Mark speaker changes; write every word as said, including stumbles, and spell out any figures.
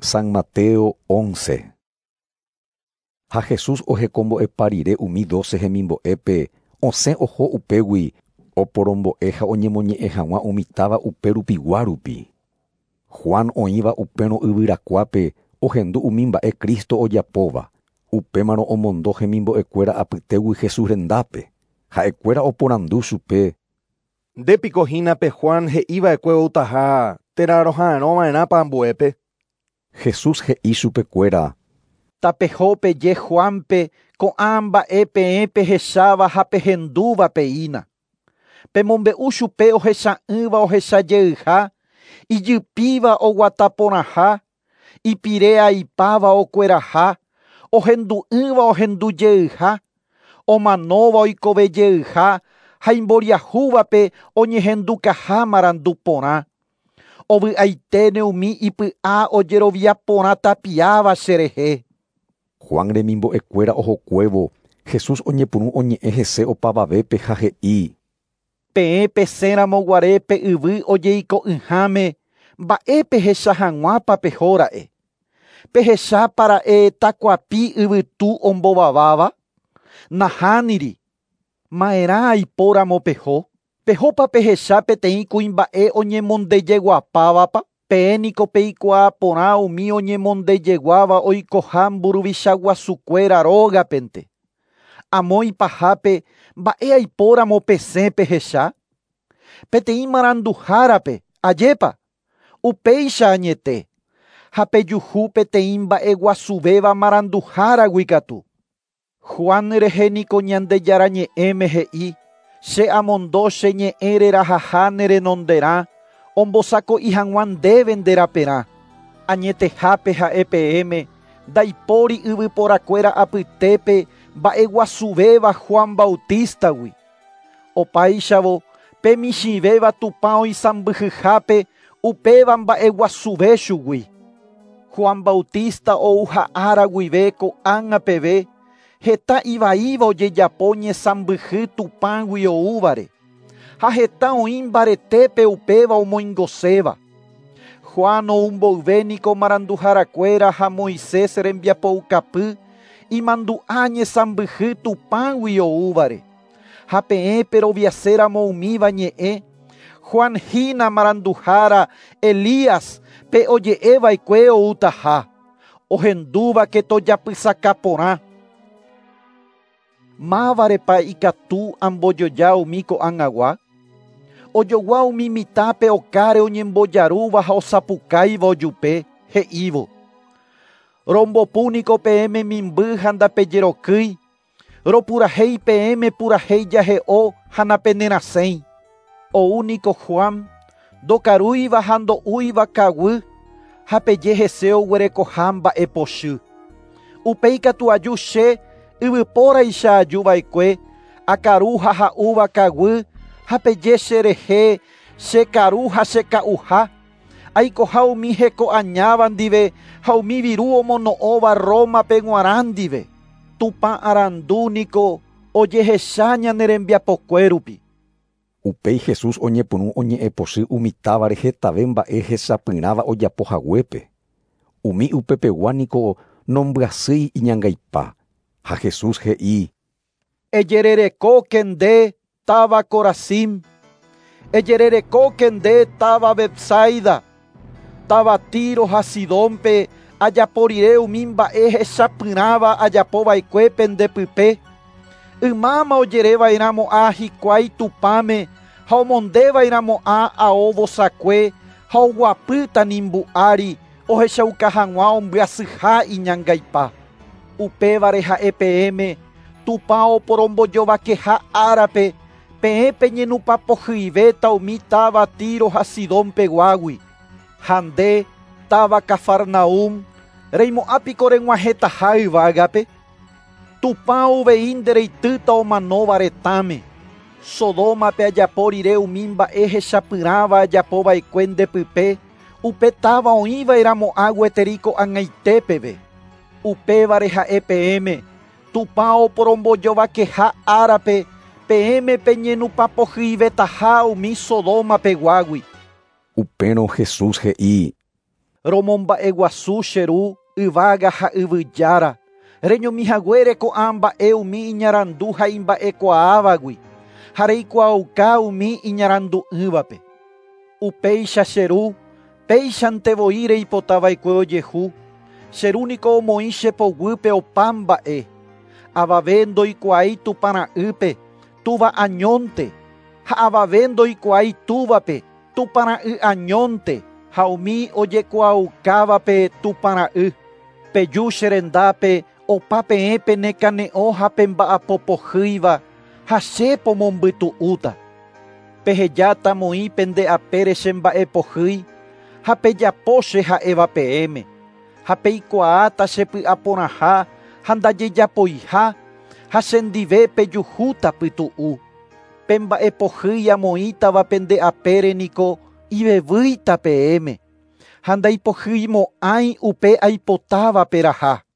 Speaker 1: San Mateo once. Ha Jesús ohekombo'epa rire umi doce hemimbo'épe osẽ oho upégui oporombo'e ha oñemoñe'ẽ hag̃ua umi táva uperupigua rupi. Juan oĩva upérõ yvyrakuápe ohendu umi mba'e Cristo ojapóva, upémarõ omondo hemimbo'ekuéra apytégui Jesús rendápe. Ha'ekuéra oporandu chupe.
Speaker 2: Ndépiko hína pe Juan he'iva'ekue outaha térã roha'arõva'erãpa ambuépe.
Speaker 1: Jesús he'i chupekuéra.
Speaker 3: Tapeho peje Juanpe ko'ã mba'e peẽ pehecháva ha pehendúva peína. Pemombe'u chupe ohecha'ỹva ohechajeyha, ijypíva oguataporãha, ipire'aipáva okueraha, ohendu'ỹva ohendujeyha, omanóva oikovejeyha ha imboriahúvape oñehendukaha marandu porã. Ovy'aiténe umi ipy'a ojerovia porã tapiáva cherehe.
Speaker 1: Juan remimbo'ekuéra ohokuévo, Jesús oñepyrũ oñe'ẽ hese opavavépe ha he'i.
Speaker 3: Peẽ pesẽramoguare pe yvy ojeiko'ỹháme, mba'e pehecha hag̃uápa pehóra'e. Pehechápara'e takuapi yvytu ombovaváva? Nahániri. Ma'erã aipóramo peho. Pehópa pehecha peteĩ kuimba'e oñemondejeguapávapa? Peẽ niko peikuaa porã umi oñemondejeguáva oikoha mburuvicha guasukuéra rógapente. Amo ipahápe mba'e aipóramo pesẽ pehecha? Peteĩ maranduhárape, ajépa? Upéicha añete. Ha pejuhu peteĩ mba'eguasuvéva maranduháragui katu. Juan rehe niko Ñandejára ñe'ẽme he'i, che amondo che ñe'ẽ rerahaha ne renonderã, ombosako'i hag̃ua ndéve nde raperã. Añetehápe ha'e peẽme, ndaipóri yvyporakuéra apytépe mba'eguasuvéva Juan Bautistagui. Opáichavo, pe michĩvéva Tupã oisãmbyhyhápe upéva mba'eguasuve chugui. Juan Bautista ouha ára guive ko'ág̃a peve, heta ivaíva ojejapo ñesãmbyhy Tupãgui oúvare. Ha heta oĩ mbaretépe upéva omoingoséva. Juan oumboyve niko maranduharakuéra ha Moisés rembiapoukapy imandu'a ñesãmbyhy Tupãgui oúvare. Ha peẽ peroviaséramo umíva ñe'ẽ, Juan hína maranduhára Elías pe oje'eva'ekue outaha, ohendúvake tojapysaka porã. Mávarepa ikatu ambojoja umi ko'ag̃agua? Ojogua umi mitãpe okáre oñembojarúva ha osapukáiva ojupe, he'ívo. Rombopu niko peẽme mimby ha ndapejerokýi, ropurahéi peẽme purahéi jahe'o ha napenerasẽi. Ou niko Juan, ndokarúiva ha ndo'úiva kaguy, ha peje hese oguerekoha mba'epochy. Upéi katu aju che yvypóraicha ajuva'ekue, akaru ha ha'úva kaguy, ha peje cherehe chekaru ha cheka'uha, aikoha umi hekoañáva ndive ha umi viru omono'õva Rómape g̃uarã ndive. Tupã arandu niko ojehecha ñane rembiapokue rupi.
Speaker 1: Upéi Jesús oñepyrũ oñe'ẽpochy umi távare hetave mba'e hechapyrãva ojapohaguépe. Umi upepegua niko nombyasýi iñangaipa. Ha Jesús he'i.
Speaker 3: Ejererekóke nde táva Corazín, ejererekóke nde táva Betsaida, táva Tiro ha Sidónpe ajapo rire umi mba'e hechapyrãva ajapova'ekue pendepype. Ymáma ojereva'erãmo'ã hikuái Tupãme ha omondeva'erãmo'ã ao vosakue ha oguapy tanimbu ári ohechauka hag̃ua ombyasyha iñangaipa. Upévare ha'e peẽme Tupã oporombojovakeha árape peẽ peñenupapohyivéta umi táva Tiro ha Sidónpeguágui. Ha nde táva Cafarnaúm reimo'ãpiko reg̃uahẽtaha yvágape. Tupã uvei ndereitýta omanóva retãme. Sodómape ajapo rire umi mba'e hechapyrãva ajapova'ekue ndepype, upe táva oĩva'erãmo'ã gueteri ko'ag̃aite peve. Upévare ha'e peẽme, Tupã oporombojovakeha árape peẽme peñenupapohyivetaha umi Sodómapeguágui.
Speaker 1: Upérõ Jesús he'i.
Speaker 3: Romomba'eguasu che ru yvága ha yvyjára. Reñomihaguére ko'ã mba'e umi iñarandu ha imba'ekuaávagui ha reikuaauka umi iñarandu'ỹvape. Upéicha che ru, péichante voi reipotava'ekue ojehu. Che ru niko omoĩ che poguýpe opa mba'e. Avave ndoikuaái Tupãra'ýpe, túva añónte, ha avave ndoikuaái túvape, Tupãra'y añónte, ha umi ojekuaaukávape Tupãra'y. Peju che rendápe opa peẽ penekane'õ ha pemba'apopohýiva ha che pomombytu'úta. Pehejáta moĩ pende apére che mba'epohýi ha pejapo che ha'éva peẽme. Ha peikuaáta che py'aporãha ha ndajejapoiha ha chendive pejuhúta pytu'u. Pe mba'epohýi amoĩtava pende apére niko ivevýita peẽme ha ndaipohyimo'ãi upe aipotáva peraha.